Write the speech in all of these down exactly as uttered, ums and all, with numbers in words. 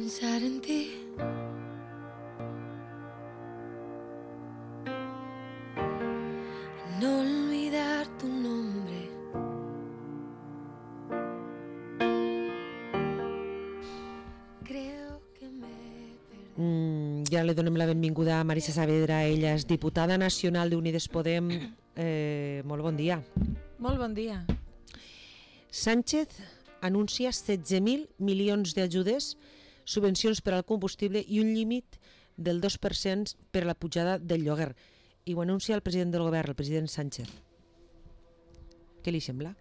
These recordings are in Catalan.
pensar en ti. No olvidar tu nombre. Creo que me perdí. Mm, ja li donem la benvinguda a Marisa Saavedra, ella és diputada nacional d'Unides Podem. Eh, molt bon dia. Molt bon dia. Sánchez anuncia setze mil milions d'ajudes, subvencions per al combustible i un límit del dos per cent per a la pujada del lloguer. I ho anuncia el president del govern, el president Sánchez. Què li sembla?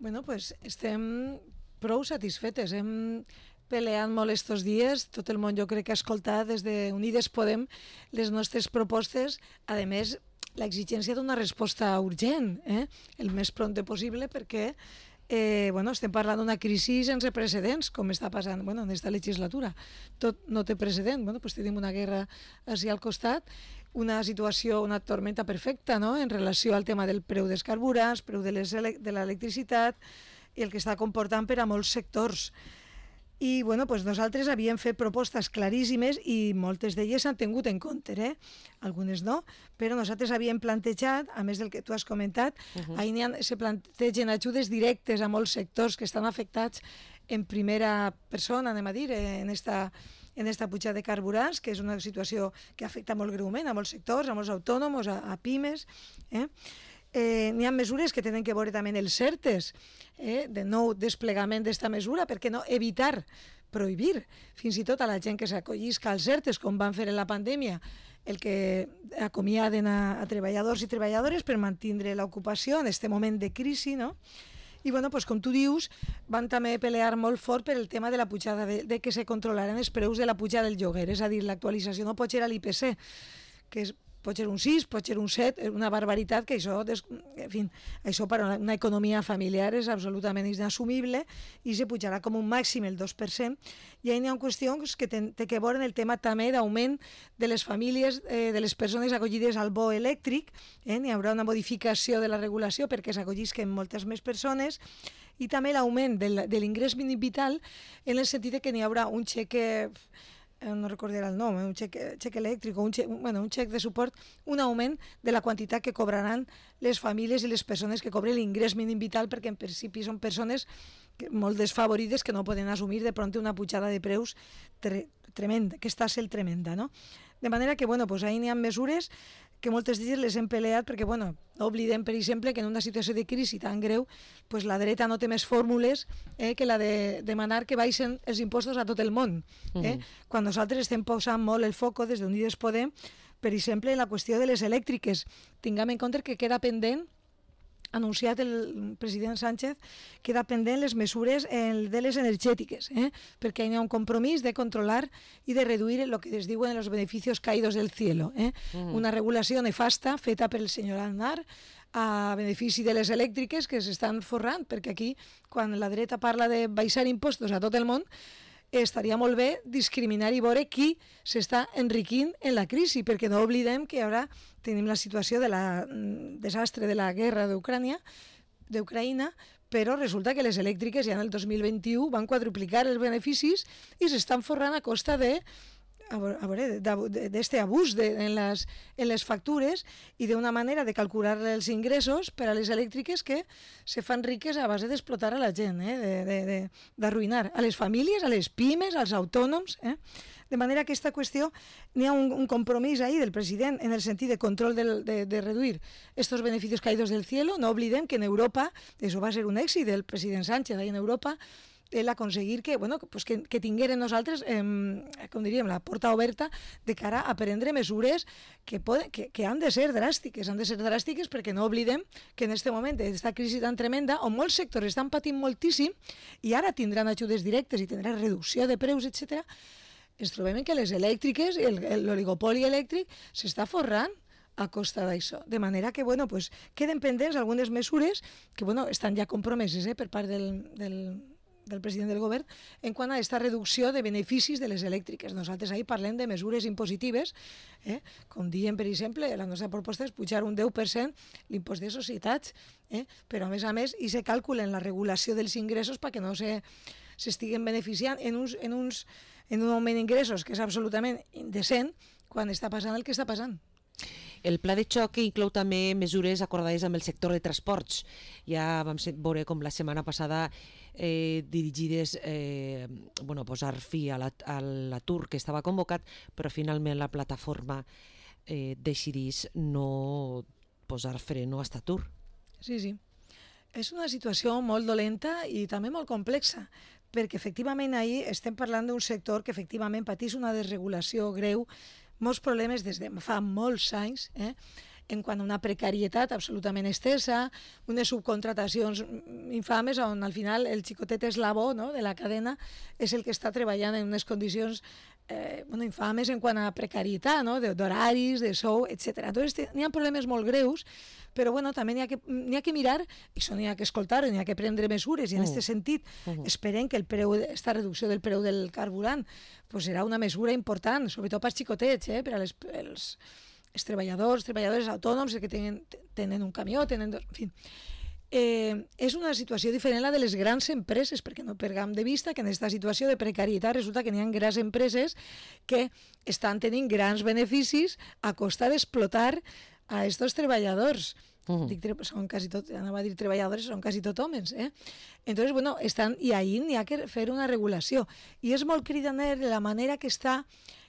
Bueno, pues estem prou satisfetes. Hem peleat molt estos dies. Tot el món jo crec que ha escoltat des de Unides Podem les nostres propostes. A més, l'exigència d'una resposta urgent, eh? el més prompte possible, perquè eh, bueno, estem parlant d'una crisi sense precedents, com està passant bueno, en aquesta legislatura. Tot no té precedent. Bueno, pues tenim una guerra així al costat, una situació, una tormenta perfecta, no?, en relació al tema del preu dels carburants, preu de l'electricitat i el que està comportant per a molts sectors. I bueno, pues nosaltres havíem fet propostes claríssimes i moltes d'elles s'han tingut en compte, eh? Algunes no, però nosaltres havíem plantejat, a més del que tu has comentat, uh-huh. ahí ha, se plantegen ajudes directes a molts sectors que estan afectats en primera persona, anem a dir, en esta, en esta pujada de carburants, que és una situació que afecta molt greument a molts sectors, a molts autònoms, a, a pimes, eh? Eh, n'hi ha mesures que tenen que veure també els CERTES, eh, de nou desplegament d'esta mesura, per què no evitar, prohibir, fins i tot a la gent que s'acollisca als CERTES, com van fer en la pandèmia, el que acomiaden a, a treballadors i treballadores per mantenir l'ocupació en aquest moment de crisi, no? I bueno, pues, com tu dius, van també pelear molt fort per el tema de la pujada, de, de que se controlaran els preus de la pujada del lloguer, és a dir, l'actualització no pot ser a l'I P C, que és pot ser un sis, pot ser un set, una barbaritat que això, en fi, això per a una economia familiar és absolutament inassumible i se pujarà com un màxim el dos per cent. I hi ha qüestions que té que veure el tema també d'augment de les famílies, eh, de les persones acollides al bo elèctric, eh? N'hi haurà una modificació de la regulació perquè s'acollisquen moltes més persones, i també l'augment de l'ingrés mínim vital en el sentit que n'hi haurà un xeque, no recordaré el nom, un xec, xec elèctric o un xec, bueno, un xec de suport, un augment de la quantitat que cobraran les famílies i les persones que cobren l'ingrés mínim vital, perquè en principi són persones que, molt desfavorides, que no poden assumir de pront una pujada de preus tre, tremenda, que està sent tremenda, no? De manera que, bueno, pues ahí n'hi ha mesures que moltes d'elles les hem peleat perquè, bueno, no oblidem, per exemple, que en una situació de crisi tan greu, pues la dreta no té més fórmules eh, que la de demanar que baixen els impostos a tot el món. Eh? Mm. Quan nosaltres estem posant molt el foco des d'Unides Podem, per exemple, en la qüestió de les elèctriques. Tinguem en compte que queda pendent, anunciat el president Sánchez, queda pendent les mesures de les energètiques, eh? perquè hi ha un compromís de controlar i de reduir el que es diuen els beneficios caídos del cielo. Eh? Mm. Una regulació nefasta feta per el senyor Aznar a benefici de les elèctriques que s'estan forrant, perquè aquí, quan la dreta parla de baixar impostos a tot el món, estaria molt bé discriminar i veure qui s'està enriquint en la crisi, perquè no oblidem que ara tenim la situació de la desastre de la guerra d'Ucrània, d'Ucraïna, però resulta que les elèctriques ja en el dos mil vint-i-u van quadruplicar els beneficis i s'estan forrant a costa de a veure, d'este abús de, en, les, en les factures i d'una manera de calcular els ingressos per a les elèctriques que se fan riques a base d'explotar a la gent, eh? d'arruïnar a les famílies, a les pimes, als autònoms. Eh? De manera que aquesta qüestió, n'hi ha un, un compromís ahí del president en el sentit de control del, de, de reduir estos beneficios caídos del cielo. No oblidem que en Europa, això va ser un èxit del president Sánchez ahí en Europa, el aconseguir que, bueno, pues que, que tingueren nosaltres, eh, com diríem, la porta oberta de cara a prendre mesures que, poden, que, que han de ser dràstiques, han de ser dràstiques perquè no oblidem que en aquest moment d'aquesta crisi tan tremenda, on molts sectors estan patint moltíssim i ara tindran ajudes directes i tindran reducció de preus, etcètera, ens trobem que les elèctriques, l'oligopoli elèctric s'està forrant a costa d'això. De manera que, bueno, pues, queden pendents algunes mesures que, bueno, estan ja compromeses eh, per part del, del del president del govern en quant a aquesta reducció de beneficis de les elèctriques. Nosaltres ahir parlem de mesures impositives, eh? com diem, per exemple, la nostra proposta és pujar un deu per cent l'impost de societats, eh? però a més a més i se calcula en la regulació dels ingressos perquè no se s'estiguen beneficiant en, uns, en, uns, en un augment d'ingressos que és absolutament indecent quan està passant el que està passant. El pla de xoc inclou també mesures acordades amb el sector de transports. Ja vam veure com la setmana passada eh, dirigides eh, bueno, a posar fi a l'atur que estava convocat, però finalment la plataforma eh, decidís no posar freno a aquest atur. Sí, sí. És una situació molt dolenta i també molt complexa, perquè efectivament ahir estem parlant d'un sector que efectivament patís una desregulació greu, molts problemes des de fa molts anys, eh? en quant a una precarietat absolutament estesa, unes subcontratacions infames on al final el xicotet eslabó, no?, de la cadena és el que està treballant en unes condicions eh, bueno, infames en quant a precarietat, no?, d'horaris, de sou, etcètera. Entonces n'hi ha problemes molt greus, però bueno, també n'hi ha, que, n'hi ha que mirar, i això n'hi ha que escoltar, n'hi ha que prendre mesures, i en aquest uh. sentit uh -huh. esperem que el preu, esta reducció del preu del carburant pues serà una mesura important, sobretot pels xicotets, eh, per als els, els treballadors, treballadores autònoms, que tenen, tenen un camió, tenen... Dos, en fi. Eh, és una situació diferent a la de les grans empreses, perquè no perdem de vista que en aquesta situació de precarietat resulta que n'hi ha grans empreses que estan tenint grans beneficis a costa d'explotar a aquests treballadors. Uh-huh. Dic, són quasi tot, anava a dir treballadors, són quasi tot homes, eh? Entonces, bueno, estan, i ahir n'hi ha que fer una regulació. I és molt cridaner la manera que està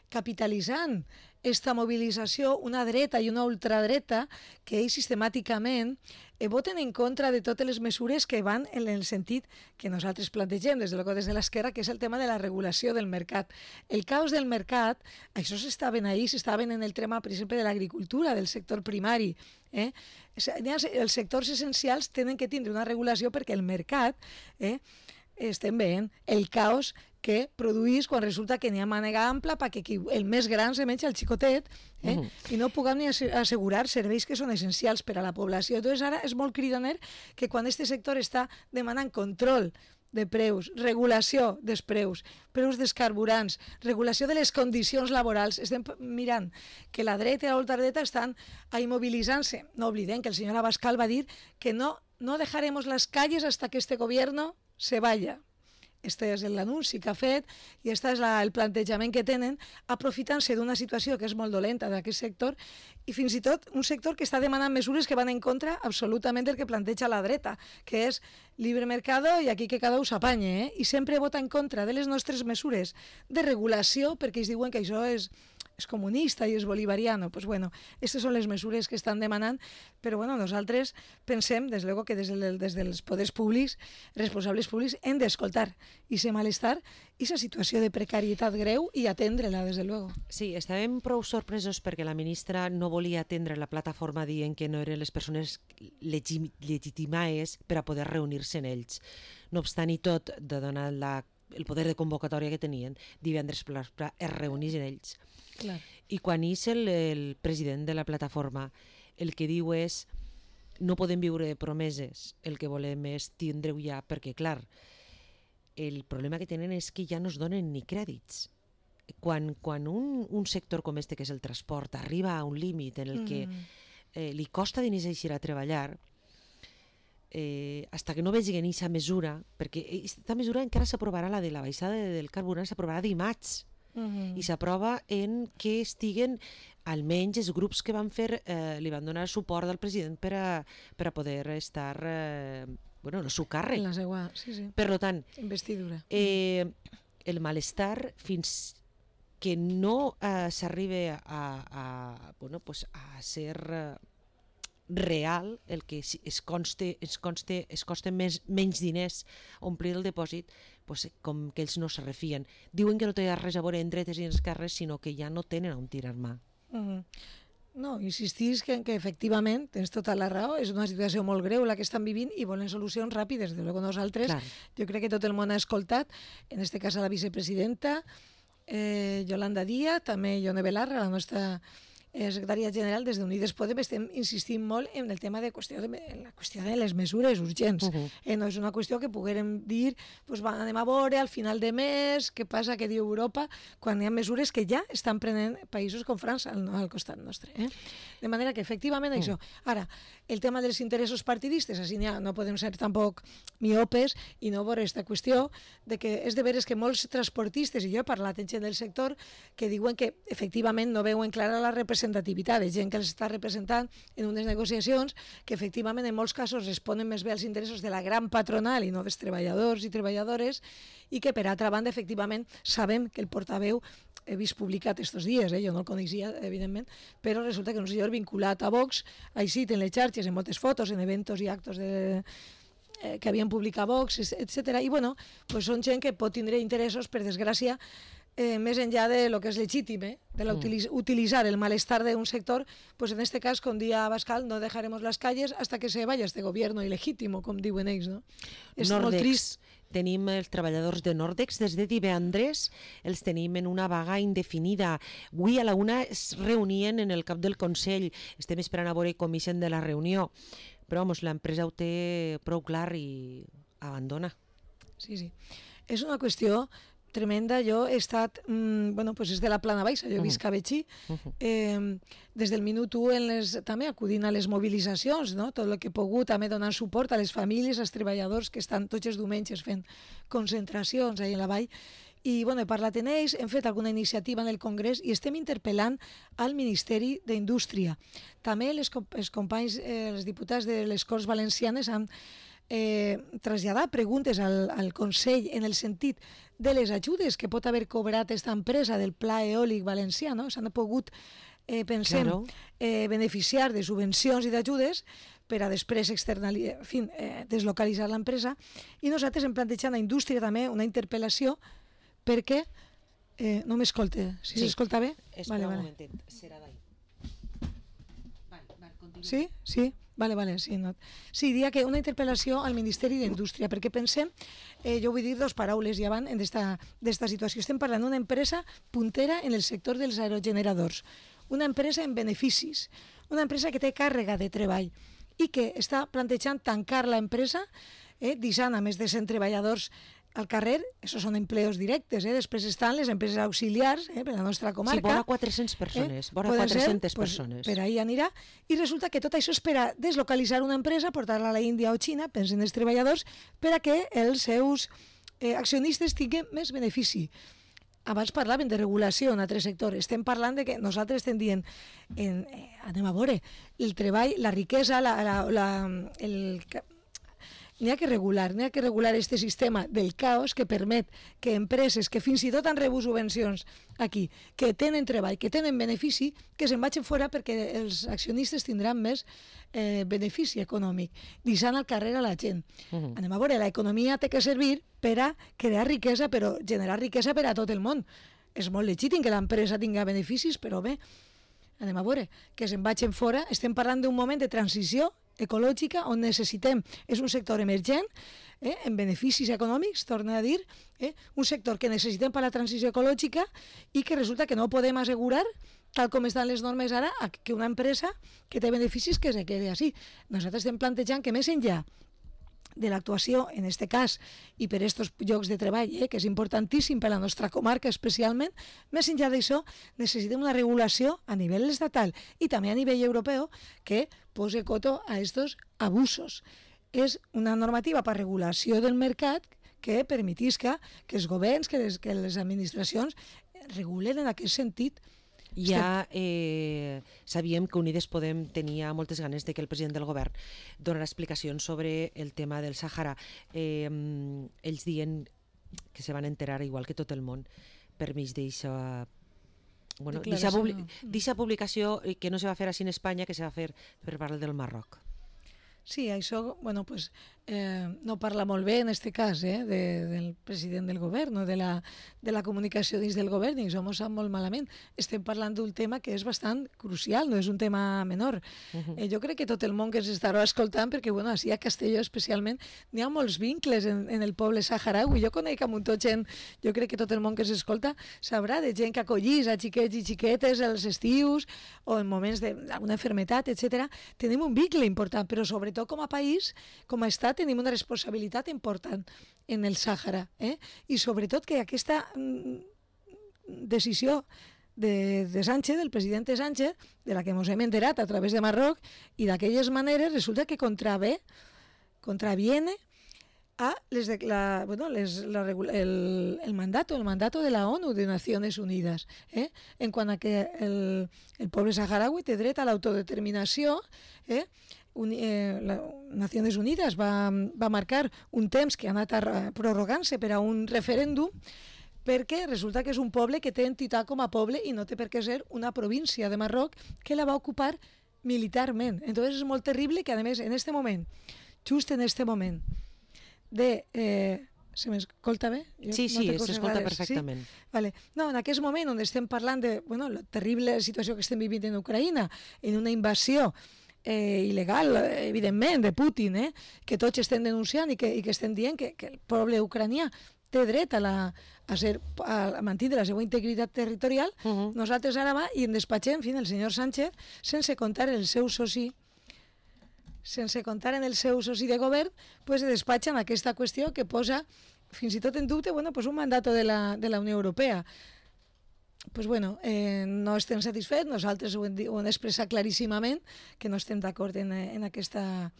capitalitzant esta mobilització una dreta i una ultradreta que ells sistemàticament eh, voten en contra de totes les mesures que van en el sentit que nosaltres plantegem des de, des de l'esquerra, que és el tema de la regulació del mercat. El caos del mercat, això s'estaven ahir, s'estaven en el tema, per exemple, de l'agricultura, del sector primari. Eh? Els sectors essencials tenen que tindre una regulació perquè el mercat, eh, estem veient el caos que produís quan resulta que n'hi ha mànega ampla perquè el més gran se menja el xicotet, eh? uh-huh. i no puguem ni assegurar serveis que són essencials per a la població. Entonces ara és molt cridaner que quan aquest sector està demanant control de preus, regulació dels preus, preus dels carburants, regulació de les condicions laborals, estem mirant que la dreta i la ultradreta estan ahí mobilitzant-se. No oblidem que el senyor Abascal va dir que no, no dejaremos las calles hasta que este gobierno se vaya. Este és l'anunci que ha fet i este és la, el plantejament que tenen, aprofitant-se d'una situació que és molt dolenta d'aquest sector i fins i tot un sector que està demanant mesures que van en contra absolutament del que planteja la dreta, que és libre mercado i aquí que cada un s'apanye, eh? I sempre vota en contra de les nostres mesures de regulació perquè ells diuen que això és és comunista i és bolivariano. Pues bueno, aquestes són les mesures que estan demanant, però bueno, nosaltres pensem, des de luego, que des, del, des dels poders públics, responsables públics, hem d'escoltar i ser malestar i aquesta situació de precarietat greu i atendre-la, des de luego. Sí, estàvem prou sorpresos perquè la ministra no volia atendre la plataforma dient que no eren les persones legi- legitimades per a poder reunir-se en ells. No obstant i tot, de donar la, el poder de convocatòria que tenien, divendres per es reunir en ells. Clar. I quan és el, el president de la plataforma el que diu és no podem viure de promeses, el que volem és tindre-ho ja, perquè clar, el problema que tenen és que ja no es donen ni crèdits. Quan, quan un, un sector com este, que és el transport, arriba a un límit en el que mm. eh, li costa diners eixir a treballar, eh, hasta que no vegin aquesta mesura, perquè aquesta mesura encara s'aprovarà, la de la baixada del carburant s'aprovarà dimarts, Uh-huh. i s'aprova en que estiguen almenys els grups que van fer eh, li van donar suport al president per a, per a poder estar eh, bueno, el seu càrrec. La seva, sí, sí. Per tant, investidura. Eh, el malestar fins que no eh, s'arribi a, a, bueno, pues a ser eh, real, el que es conste, es conste, es costen més, menys diners omplir el dipòsit, pues, com que ells no se refien. Diuen que no té res a veure en dretes i en esquerres, sinó que ja no tenen on tirar mà. Uh-huh. No, insistís que, que efectivament tens tota la raó, és una situació molt greu la que estan vivint i volen solucions ràpides. De luego nosaltres, Clar. jo crec que tot el món ha escoltat, en este cas a la vicepresidenta, eh, Yolanda Díaz, també Ione Belarra, la nostra eh, secretària general, des d'Unides Podem estem insistint molt en el tema de qüestió de, en la qüestió de les mesures urgents. Uh -huh. eh, no és una qüestió que poguérem dir, pues, va, anem a veure al final de mes què passa, què diu Europa, quan hi ha mesures que ja estan prenent països com França al, al costat nostre. Eh? De manera que, efectivament, uh -huh. això. Ara, el tema dels interessos partidistes, així ja no podem ser tampoc miopes i no veure aquesta qüestió de que és de veres que molts transportistes, i jo he parlat amb gent del sector, que diuen que efectivament no veuen clara la representativitat de gent que els està representant en unes negociacions que efectivament en molts casos responen més bé als interessos de la gran patronal i no dels treballadors i treballadores, i que per altra banda efectivament sabem que el portaveu he vist publicat estos dies, eh? Jo no el coneixia, evidentment, però resulta que un senyor vinculat a Vox, així en les xarxes, en moltes fotos, en eventos i actos de, eh, que havien publicat Vox, etcètera. I bueno, pues són gent que pot tindre interessos, per desgràcia, eh, més enllà de lo que és legítim, eh? de la utiliz utilitzar el malestar d'un sector, pues en este cas, com dia Abascal, no dejaremos las calles hasta que se vaya este gobierno ilegítimo, com diuen ells, no? És Nordex. molt trist. Tenim els treballadors de Nordex des de divendres, els tenim en una vaga indefinida. Avui a la una es reunien en el cap del Consell, estem esperant a veure com ixen de la reunió, però vamos, l'empresa ho té prou clar i abandona. Sí, sí. És una qüestió tremenda. Jo he estat, mmm, bueno, pues és de la Plana Baixa, jo visc a Betxí, eh, des del minut u en les, també acudint a les mobilitzacions, no? Tot el que he pogut, també donant suport a les famílies, als treballadors que estan tots els diumenges fent concentracions ahí en la vall. I bueno, he parlat amb ells, hem fet alguna iniciativa en el Congrés i estem interpel·lant al Ministeri d'Indústria. També les, els companys, eh, els diputats de les Corts Valencianes han eh, traslladat preguntes al, al Consell en el sentit de les ajudes que pot haver cobrat aquesta empresa del Pla Eòlic Valencià, no? S'han pogut, eh, pensem, claro. eh, beneficiar de subvencions i d'ajudes per a després externalitzar, en fi, eh, deslocalitzar l'empresa, i nosaltres hem plantejat a la indústria també una interpel·lació perquè... Eh, no m'escolte, si s'escolta bé? Espera vale, un vale. momentet, serà d'ahí. Vale, vale, continua. Sí? Sí? Vale, vale, sí, no. Sí, diria que una interpel·lació al Ministeri d'Indústria, perquè pensem, eh, jo vull dir dos paraules ja van d'esta situació. Estem parlant d'una empresa puntera en el sector dels aerogeneradors, una empresa en beneficis, una empresa que té càrrega de treball i que està plantejant tancar l'empresa, eh, deixant a més de cent treballadors al carrer. Això són empleos directes, eh? Després estan les empreses auxiliars, eh, per la nostra comarca. Sí, vora quatre-centes persones, eh? vora quatre-centes ser, persones. Pues, per ahí anirà, i resulta que tot això és per a deslocalitzar una empresa, portar-la a la Índia o Xina, pensen els treballadors, per a que els seus eh, accionistes tinguin més benefici. Abans parlaven de regulació en altres sectors. Estem parlant de que nosaltres estem dient, en, eh, anem a veure, el treball, la riquesa, la, la, la, el... N'hi ha que regular, n'hi ha que regular este sistema del caos que permet que empreses que fins i tot han rebut subvencions aquí, que tenen treball, que tenen benefici, que se'n vagin fora perquè els accionistes tindran més eh, benefici econòmic, deixant al carrer a la gent. Uh -huh. Anem a veure, l'economia té que servir per a crear riquesa, però generar riquesa per a tot el món. És molt legítim que l'empresa tinga beneficis, però bé, anem a veure, que se'n vagin fora. Estem parlant d'un moment de transició ecològica on necessitem, és un sector emergent, eh, en beneficis econòmics, torno a dir, eh, un sector que necessitem per a la transició ecològica i que resulta que no podem assegurar, tal com estan les normes ara, que una empresa que té beneficis que se quede així. Nosaltres estem plantejant que més enllà de l'actuació, en aquest cas, i per aquests llocs de treball, eh, que és importantíssim per a la nostra comarca especialment, més enllà d'això, necessitem una regulació a nivell estatal i també a nivell europeu que pose coto a aquests abusos. És una normativa per regulació del mercat que permetisca que els governs, que les, que les administracions regulen en aquest sentit. Ja eh, sabíem que Unides Podem tenia moltes ganes de que el president del govern donarà explicacions sobre el tema del Sàhara. Eh, ells diuen que se van enterar, igual que tot el món, per mig d'eixa bueno, publi publicació que no se va fer així en Espanya, que se va fer per part del Marroc. Sí, això, bueno, pues, eh, no parla molt bé en aquest cas eh, de, del president del govern o de la, de la comunicació dins del govern, i això m'ho sap molt malament. Estem parlant d'un tema que és bastant crucial, no és un tema menor. Uh-huh. eh, jo crec que tot el món que ens estarà escoltant, perquè bueno, així a Castelló especialment n'hi ha molts vincles en, en el poble saharaui. Jo conec a muntó gent, jo crec que tot el món que s'escolta sabrà de gent que acollís a xiquets i xiquetes als estius o en moments d'alguna enfermetat, etcètera. Tenim un vincle important, però sobretot com a país, com a estat, tenim una responsabilitat important en el Sàhara. Eh? I sobretot que aquesta mm, decisió de, de Sánchez, del president Sánchez, de la que ens hem enterat a través de Marroc, i d'aquelles maneres resulta que contravé, contraviene a les de, la, bueno, les, la, el, el mandato, el mandato de la ONU, de Nacions Unides, eh? en quant a que el, el poble saharaui té dret a l'autodeterminació. eh? Un, eh, la Nacions Unides va, va marcar un temps que ha anat prorrogant-se per a un referèndum, perquè resulta que és un poble que té entitat com a poble i no té per què ser una província de Marroc que la va ocupar militarment. Entonces és molt terrible que, a més, en aquest moment, just en aquest moment, de... Eh, se m'escolta bé? Jo sí, sí, no s'escolta perfectament. Sí? Vale. No, en aquest moment on estem parlant de bueno, la terrible situació que estem vivint en Ucraïna, en una invasió eh, il·legal, evidentment, de Putin, eh, que tots estem denunciant i que, i que estem dient que, que el poble ucranià té dret a, la, a, ser, a mantenir la seva integritat territorial, uh-huh. Nosaltres ara va i en despatxem, en fi, el senyor Sánchez, sense comptar el seu soci sense comptar en el seu soci de govern, pues despatxen aquesta qüestió que posa fins i tot en dubte bueno, pues un mandat de la, de la Unió Europea. Pues bueno, eh, no estem satisfets, nosaltres ho hem, ho hem expressat claríssimament, que no estem d'acord en, en, aquesta,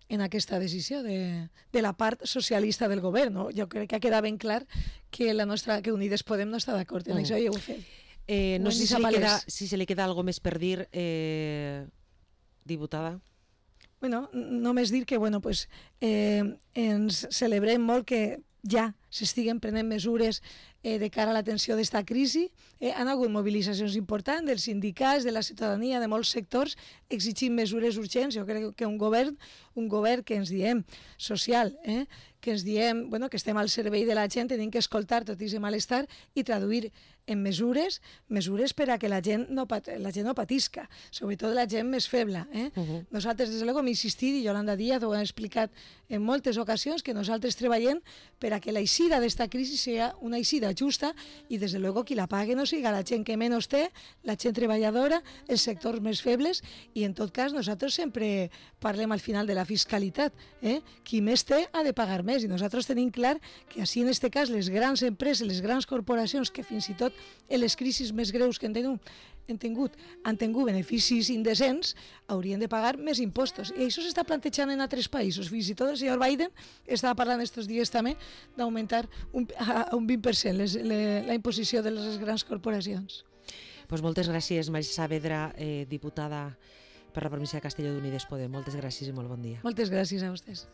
en aquesta decisió de, de la part socialista del govern. No? Jo crec que ha quedat ben clar que la nostra que Unides Podem no està d'acord en mm. això, i ho he fet. Eh, no sé si, si, li queda, si se li queda alguna més per dir, eh, diputada. Bueno, només dir que bueno, pues, eh, ens celebrem molt que ja s'estiguen prenent mesures eh, de cara a l'atenció d'esta crisi. Eh, han hagut mobilitzacions importants dels sindicats, de la ciutadania, de molts sectors, exigint mesures urgents. Jo crec que un govern, un govern que ens diem social, eh, que ens diem bueno, que estem al servei de la gent, tenim que escoltar tot aquest malestar i traduir en mesures, mesures per a que la gent no, pat, la gent no patisca, sobretot la gent més feble. Eh? Uh-huh. Nosaltres, des de luego, hem insistit, i Yolanda Díaz ho ha explicat en moltes ocasions, que nosaltres treballem per a que la eixida d'esta crisi sigui una eixida justa i, des de luego, qui la pague no siga la gent que menys té, la gent treballadora, els sectors més febles, i en tot cas nosaltres sempre parlem al final de la fiscalitat. Eh? Qui més té ha de pagar més, i nosaltres tenim clar que així en aquest cas les grans empreses, les grans corporacions que fins i tot en les crisis més greus que han tingut, han tingut, han tingut beneficis indecents, haurien de pagar més impostos. I això s'està plantejant en altres països. Fins i tot el senyor Biden estava parlant aquests dies també d'augmentar un, a un vint per cent les, le, la imposició de les grans corporacions. Pues moltes gràcies, Marisa Saavedra, eh, diputada per la província de Castelló d'Unides Podem. Moltes gràcies i molt bon dia. Moltes gràcies a vostès.